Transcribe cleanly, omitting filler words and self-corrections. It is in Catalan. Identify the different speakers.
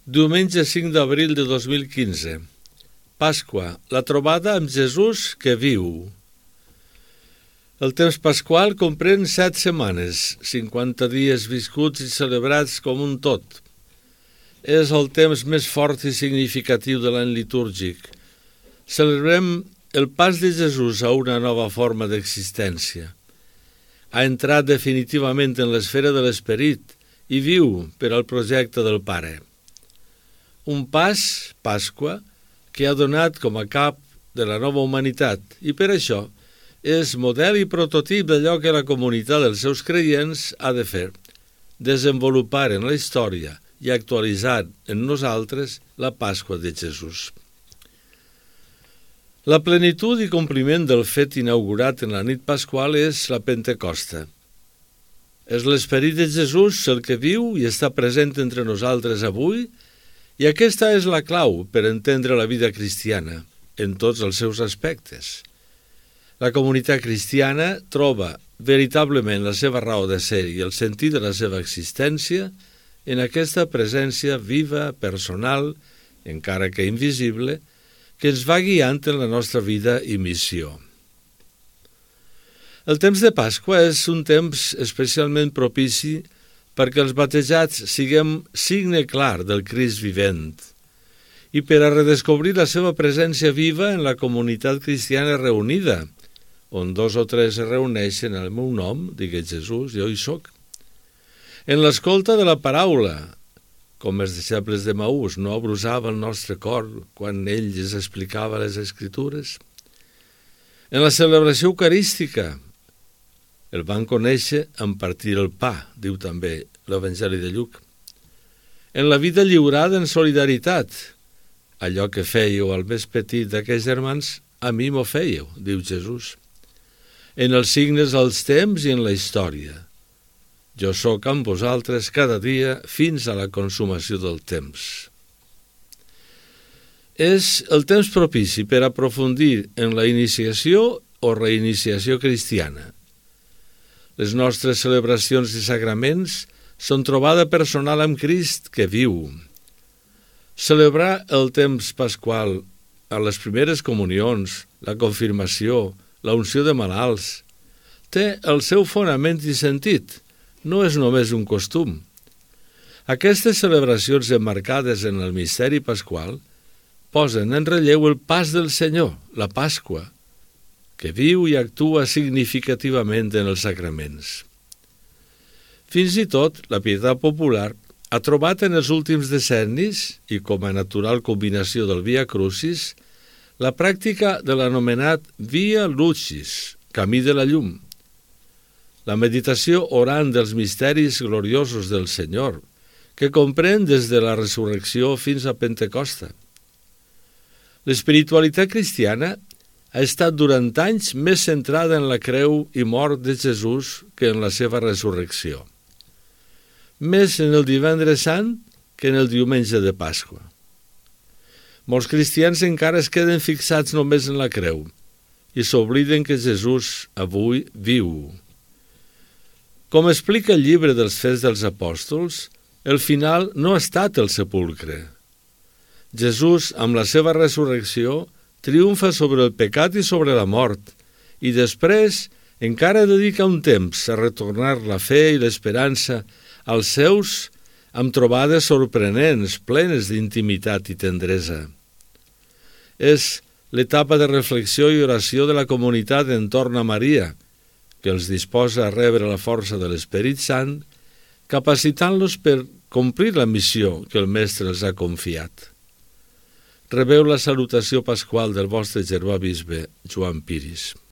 Speaker 1: Diumenge 5 d'abril de 2015. Pasqua, la trobada amb Jesús que viu. El temps pasqual comprèn 7 setmanes, 50 dies viscuts i celebrats com un tot. És el temps més fort i significatiu de l'any litúrgic. Celebrem el pas de Jesús a una nova forma d'existència. Ha entrat definitivament en l'esfera de l'esperit i viu per al projecte del Pare. Un pas, Pasqua, que ha donat com a cap de la nova humanitat i per això és model i prototip d'allò que la comunitat dels seus creients ha de fer, desenvolupar en la història i actualitzar en nosaltres la Pasqua de Jesús. La plenitud i compliment del fet inaugurat en la nit pasqual és la Pentecosta. És l'esperit de Jesús el que viu i està present entre nosaltres avui, i aquesta és la clau per entendre la vida cristiana, en tots els seus aspectes. La comunitat cristiana troba veritablement la seva raó de ser i el sentit de la seva existència en aquesta presència viva, personal, encara que invisible, que ens va guiant en la nostra vida i missió. El temps de Pasqua és un temps especialment propici perquè els batejats siguem signe clar del Crist vivent i per a redescobrir la seva presència viva en la comunitat cristiana reunida, on 2 o 3 es reuneixen en el meu nom, digui Jesús, jo hi soc. En l'escolta de la paraula, com els deixebles de Maús, no abrusava el nostre cor quan ell ens explicava les Escritures. En la celebració eucarística, el van conèixer en partir el pa, diu també l'Evangeli de Lluc. En la vida lliurada en solidaritat, allò que fèieu al més petit d'aquells germans, a mi m'ho fèieu, diu Jesús. En els signes dels temps i en la història. Jo sóc amb vosaltres cada dia fins a la consumació del temps. És el temps propici per aprofundir en la iniciació o reiniciació cristiana. Les nostres celebracions i sagraments són trobada personal amb Crist que viu. Celebrar el temps pasqual a les primeres comunions, la confirmació, la unció de malalts, té el seu fonament i sentit, no és només un costum. Aquestes celebracions emmarcades en el misteri pasqual posen en relleu el pas del Senyor, la Pasqua, que viu i actua significativament en els sacraments. Fins i tot, la pietat popular ha trobat en els últims decennis, i com a natural combinació del Via Crucis, la pràctica de l'anomenat Via Lucis, camí de la llum. La meditació orant dels misteris gloriosos del Senyor, que comprèn des de la resurrecció fins a Pentecosta. L'espiritualitat cristiana ha estat durant anys més centrada en la creu i mort de Jesús que en la seva resurrecció. Més en el divendres sant que en el diumenge de Pasqua. Molts cristians encara es queden fixats només en la creu i s'obliden que Jesús avui viu. Com explica el llibre dels Fets dels Apòstols, el final no ha estat el sepulcre. Jesús, amb la seva resurrecció, triomfa sobre el pecat i sobre la mort, i després encara dedica un temps a retornar la fe i l'esperança als seus amb trobades sorprenents, plenes d'intimitat i tendresa. És l'etapa de reflexió i oració de la comunitat entorn a Maria, que els disposa a rebre la força de l'Esperit Sant, capacitant-los per complir la missió que el Mestre els ha confiat. Rebeu la salutació pasqual del vostre germà bisbe Joan Piris.